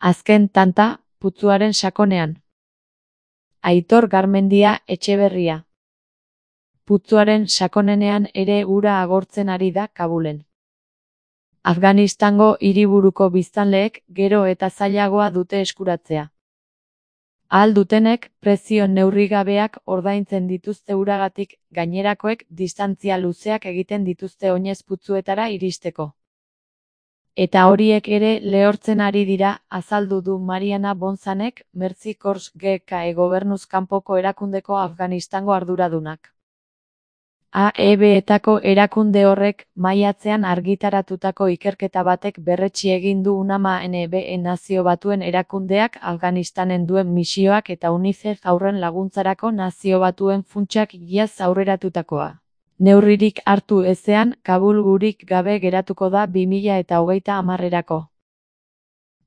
Azken tanta, putzuaren sakonean. Aitor Garmendia Etxeberria. Putzuaren sakonenean ere ura agortzen ari da Kabulen. Afganistango hiriburuko biztanleek gero eta zailagoa dute eskuratzea. Ahal dutenek prezio neurrigabeak ordaintzen dituzte uragatik, gainerakoek distantzia luzeak egiten dituzte oinez putzuetara iristeko. Eta horiek ere lehortzen ari dira, azaldu du Mariana Bonzanek, Mercy Corps GKE gobernuz kanpoko erakundeko Afganistango arduradunak. AEB-etako erakunde horrek maiatzean argitaratutako ikerketa batek berretsi egin du UNAMA-NB Nazio Batuen erakundeak Afganistanen duen misioak eta UNICEF haurren laguntzarako Nazio Batuen funtsak iaz aurreratutakoa. Neurririk hartu ezean, Kabul gurik gabe geratuko da 2030erako.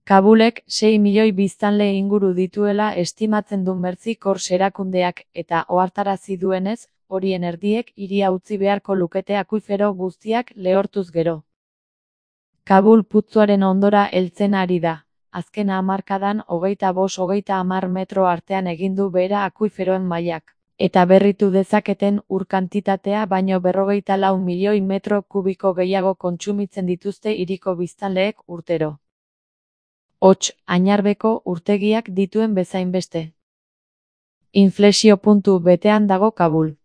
Kabulek 6 milioi biztanle inguru dituela estimatzen du Mercy Corps erakundeak eta ohartarazi duenez, horien erdiek hiria utzi beharko lukete akuifero guztiak lehortuz gero. Kabul putzuaren ondora heltzen ari da. Azken hamarkadan 25-30 metro artean egin du behera akuiferoen mailak, eta berritu dezaketen ur kantitatea baino 54 milioi metro kubiko gehiago kontsumitzen dituzte hiriko biztanleek urtero. Hots, Añarbeko urtegiak dituen bezainbeste. Inflexio puntu betean dago Kabul.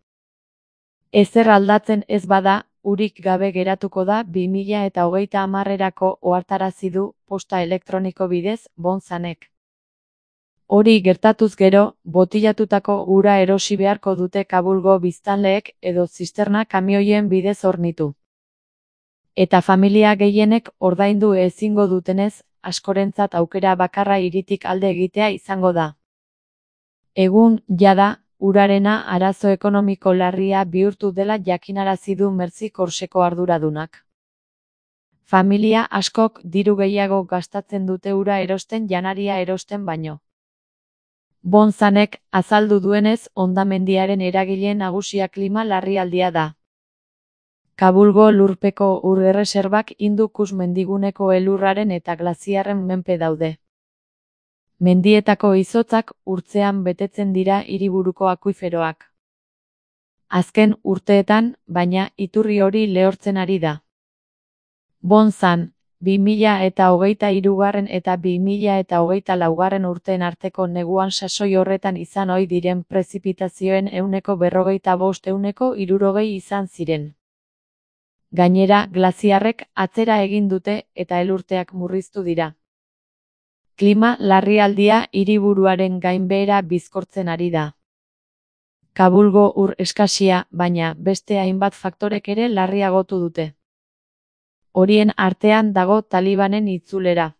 Ezer aldatzen ez bada, urik gabe geratuko da 2030erako ohartarazi du posta elektroniko bidez Bonzanek. Hori gertatuz gero, botilatutako ura erosi beharko dute Kabulgo biztanleek edo zisterna kamioien bidez hornitu. Eta familia gehienek ordaindu ezingo dutenez, askorentzat aukera bakarra hiritik alde egitea izango da. Egun, jada, urarena arazo ekonomiko larria bihurtu dela jakinarazi du Mercy Corpseko arduradunak. Familia askok diru gehiago gastatzen dute ura erosten janaria erosten baino. Bonzanek azaldu duenez, hondamendiaren eragile nagusia klima larrialdia da. Kabulgo lurpeko ur erreserbak Hindukush mendiguneko elurraren eta glaziarren menpe daude. Mendietako izotzak urtzean betetzen dira hiriburuko akuiferoak. Azken urteetan, baina, iturri hori lehortzen ari da. Bonzan, 2023 eta 2024 urteen arteko neguan sasoi horretan izan ohi diren prezipitazioen 45% izan ziren. Gainera, glaziarrek atzera egin dute eta elurteak murriztu dira. Klima larrialdia hiriburuaren gainbehera bizkortzen ari da. Kabulgo ur eskasia, baina beste hainbat faktorek ere larriagotu dute. Horien artean dago Talibanen itzulera.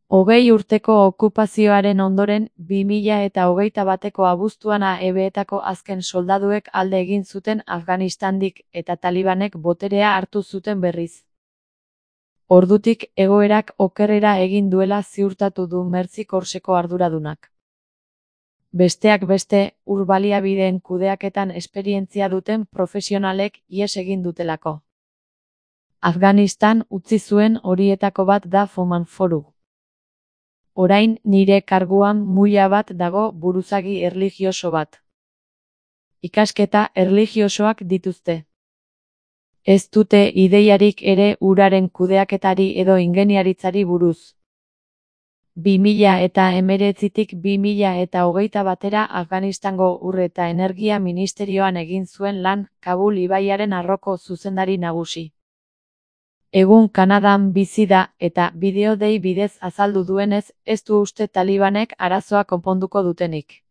20 urteko okupazioaren ondoren, 2021ko abuztuan AEB-etako azken soldaduek alde egin zuten Afganistandik eta Talibanek boterea hartu zuten berriz. Ordutik egoerak okerrera egin duela ziurtatu du Mercy Corpseko arduradunak. Besteak beste, ur baliabideen kudeaketan esperientzia duten profesionalek ihes egin dutelako. Afganistan utzi zuen horietako bat da Foman Foru. Orain nire karguan muila bat dago buruzagi erlijioso bat. Ikasketa erlijiosoak dituzte. Ez dute ideiarik ere uraren kudeaketari edo ingeniaritzari buruz. 2019tik 2021 Afganistango ur eta energia ministerioan egin zuen lan Kabul ibaiaren arroko zuzendari nagusi. Egun Kanadan bizi da eta bideo dei bidez azaldu duenez, ez du uste Talibanek arazoa konponduko dutenik.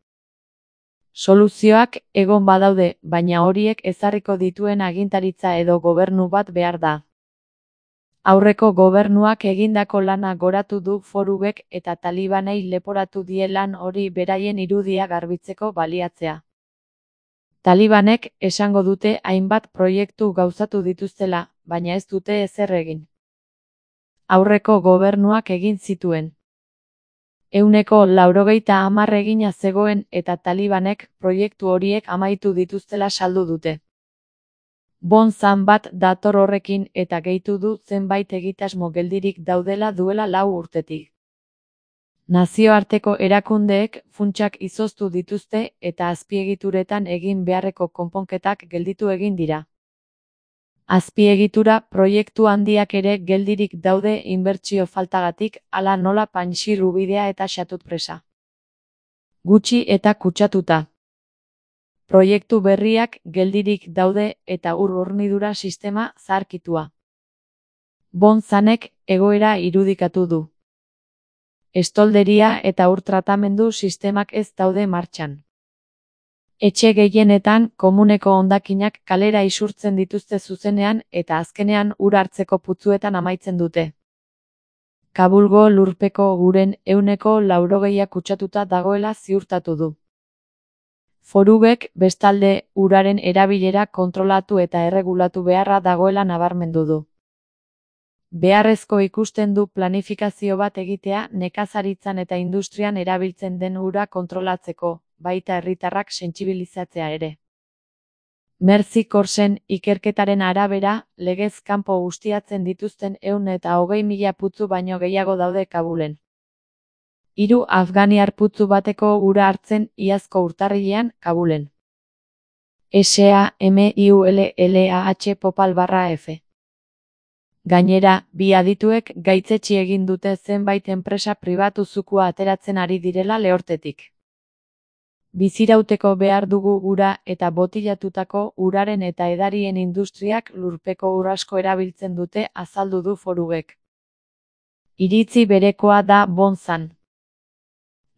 Soluzioak egon badaude, baina horiek ezarriko dituen agintaritza edo gobernu bat behar da. Aurreko gobernuak egindako lana goratu du Forubek eta Talibanei leporatu die lan hori beraien irudia garbitzeko baliatzea. Talibanek esango dute hainbat proiektu gauzatu dituztela, baina ez dute ezer egin. Aurreko gobernuak egin zituen. 90% egina zegoen eta Talibanek proiektu horiek amaitu dituztela saldu dute. Bonzan bat dator horrekin eta gehitu du zenbait egitasmo geldirik daudela duela 4 urtetik. Nazioarteko erakundeek funtsak izoztu dituzte eta azpiegituretan egin beharreko konponketak gelditu egin dira. Azpiegitura proiektu handiak ere geldirik daude inbertsio faltagatik, hala nola Panxir ubidea eta Xatut presa. Gutxi eta kutsatuta. Proiektu berriak geldirik daude eta ur-hornidura sistema zaharkitua. Bonzanek egoera irudikatu du. Estolderia eta ur-tratamendu sistemak ez daude martxan. Etxe gehienetan komuneko hondakinak kalera isurtzen dituzte zuzenean eta azkenean ur hartzeko putzuetan amaitzen dute. Kabulgo lurpeko uren 80% kutsatuta dagoela ziurtatu du. Forubek, bestalde, uraren erabilera kontrolatu eta erregulatu beharra dagoela nabarmendu du. Beharrezko ikusten du planifikazio bat egitea nekazaritzan eta industrian erabiltzen den ura kontrolatzeko, baita herritarrak sentsibilizatzea ere. Merzi Korsen ikerketaren arabera, legez kanpo ustiatzen dituzten 120.000 putzu baino gehiago daude Kabulen. 3 afganiar putzu bateko ura hartzen iazko urtarrilean Kabulen. SAMIULLAH Popal/F. Gainera, bi adituek gaitzetsi egin dute zenbait enpresa pribatu zukua ateratzen ari direla lehortetik. Bizirauteko behar dugu ura eta botilatutako uraren eta edarien industriak lurpeko ur asko erabiltzen dute azaldu du Forubek. Iritzi berekoa da Bonzan.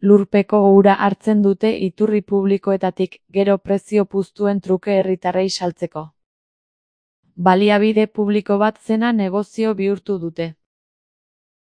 Lurpeko ura hartzen dute iturri publikoetatik, gero prezio puztuen truke herritarrei saltzeko. Baliabide publiko bat zena negozio bihurtu dute.